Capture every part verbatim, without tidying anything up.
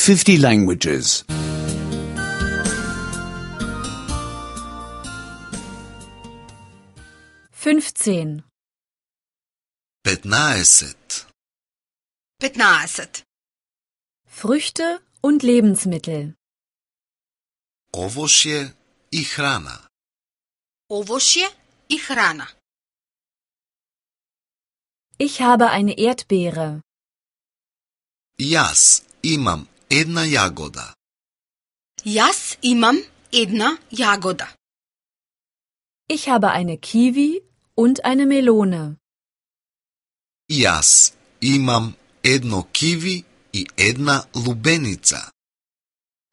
fifty languages. fünfzehn. петнаесет. петнаесет. Früchte und Lebensmittel. Овошје и храна. Овошје и храна. Ich habe eine Erdbeere. Јас имам една јагода. Јас имам една јагода. Ich habe eine Kiwi und eine Melone. Јас имам едно киви и една лубеница.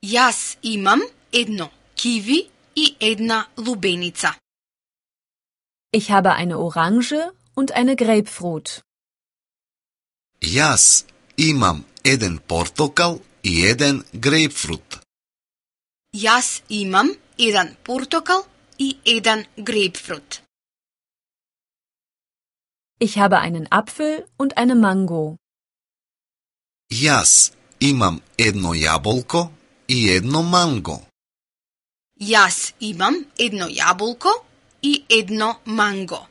Јас имам едно киви и една лубеница. Ich habe eine Orange und eine Grapefruit. Јас имам еден портокал и еден грейпфрут. Јас имам еден портокал и еден грейпфрут. Ich habe einen Apfel und eine Mango. Јас имам едно јаболко и едно манго. Јас имам едно јаболко и едно манго.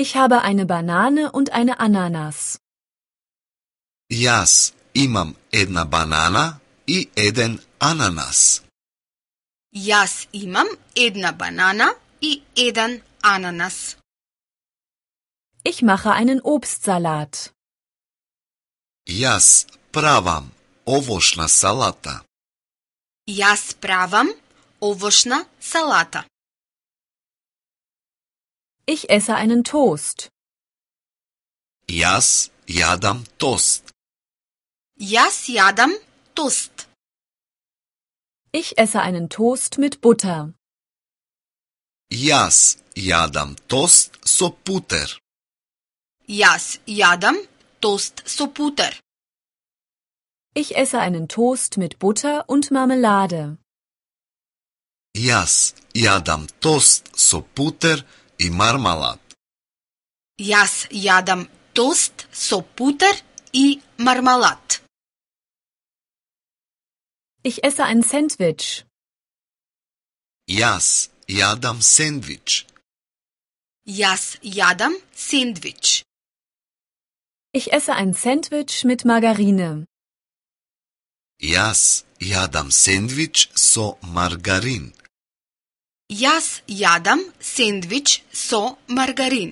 Ich habe eine Banane und eine Ananas. Јас имам една банана и еден ананас. Јас имам една банана и еден ананас. Ich mache einen Obstsalat. Јас правам овошна салата. Јас правам овошна салата. Ich esse einen Toast. Јас јадам тост. Јас јадам тост. Ich esse einen Toast mit Butter. Јас јадам тост со путер. Јас јадам тост со путер. Ich esse einen Toast mit Butter und Marmelade. Јас јадам тост со путер и мармалад. Јас јадам тост со путер и мармалад. Ich esse ein Sandwich. Јас јадам сендвич. Јас јадам сендвич. Ich esse ein Sandwich mit Margarine. Јас јадам сендвич со маргарин. Јас јадам сендвич со маргарин.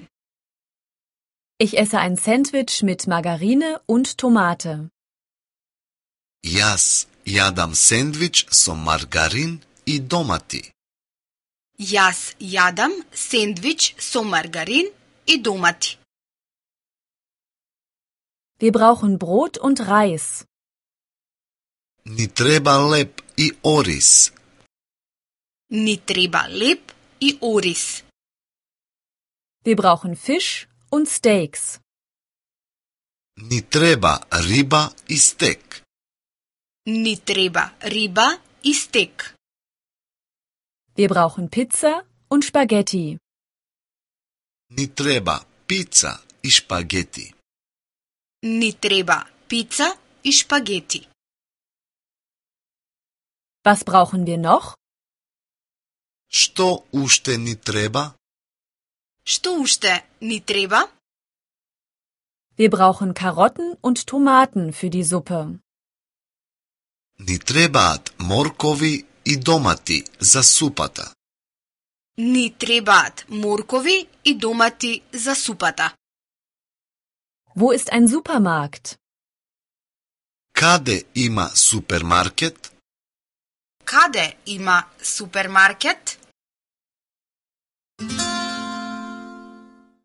Ich esse ein Sandwich mit Margarine und Tomate. Јас јадам сендвич со маргарин и домати. Јас јадам сендвич со маргарин и домати. Wir brauchen Brot und Reis. Ни треба леп и ориз. Ни треба леп и ориз. Wir brauchen Fisch und Steaks. Ни треба риба и стек. Ни треба риба и стек. Wir brauchen Pizza und Spaghetti. Ни треба пица и шпагети. Ни треба пица и шпагети. Was brauchen wir noch? Што уште ни треба? Што уште ни треба? Wir brauchen Karotten und Tomaten für die Suppe. Ни требаат моркови и домати за супата. Ни требаат моркови и домати за супата. Wo ist ein Supermarkt? Каде има супермаркет? Каде има супермаркет?